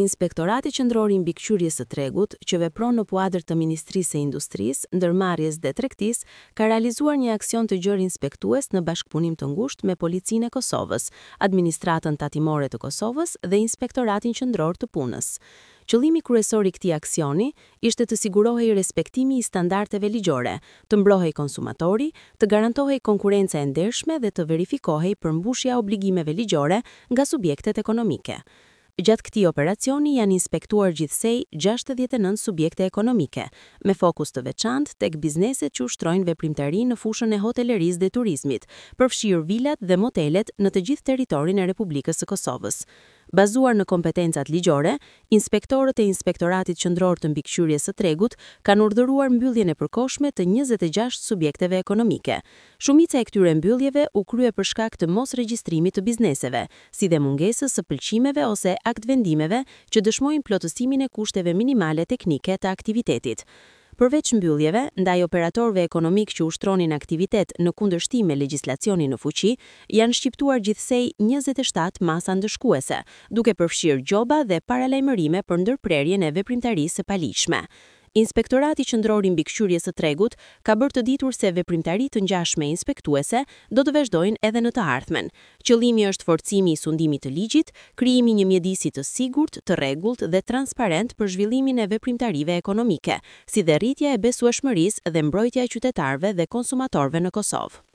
Inspektorati Qendror i Mbikëqyrjes së Tregut, që vepron në kuadër të Ministrisë së Industrisë, Ndërmarrjes dhe Tregtisë, ka realizuar një aksion të gjerë inspektues në bashkëpunim të ngushtë me Policinë e Kosovës, Administratën Tatimore të Kosovës dhe Inspektoratin Qendror të Punës. Qëllimi kryesor i këtij aksioni ishte të sigurohej respektimi i standardeve ligjore, të mbrohej konsumatori, të garantohej konkurrenca e ndershme dhe të verifikohej përmbushja e obligimeve ligjore nga subjektet ekonomike. Gjatë këtij operacioni janë inspektuar gjithsej 69 subjekte ekonomike, me fokus të veçantë tek bizneset që ushtrojnë veprimtari në fushën e hotelerisë dhe turizmit, përfshirë vilat dhe motelet në të gjithë territorin e Republikës së Kosovës. Bazuar në kompetencat ligjore, inspektorët e Inspektoratit Qendror të Mbikëqyrjes së Tregut kanë urdhëruar mbylljen e përkohshme të 26 subjekteve ekonomike. Shumica e këtyre mbylljeve u krye për shkak të mosregjistrimit të bizneseve, si dhe mungesës së pëlqimeve ose aktvendimeve që dëshmojnë plotësimin e kushteve minimale teknike të aktivitetit. Përveç mbylljeve, ndaj operatorëve ekonomikë që ushtronin aktivitet në kundërshtim me legjislacionin në fuqi, janë shqiptuar gjithsej 27 masa ndëshkuese, duke përfshirë gjoba dhe paralajmërime për ndërprerjen e veprimtarisë së paligjshme. Inspektorati Qendror i Mbikëqyrjes së Tregut ka bërë të ditur se veprimtari të ngjashme inspektuese do të vazhdojnë edhe në të ardhmen. Qëllimi është forcimi i sundimit të ligjit, krijimi i një mjedisi të sigurt, të rregullt dhe transparent për zhvillimin e veprimtarive ekonomike, si dhe rritja e besueshmërisë dhe mbrojtja e qytetarëve dhe konsumatorëve në Kosovë.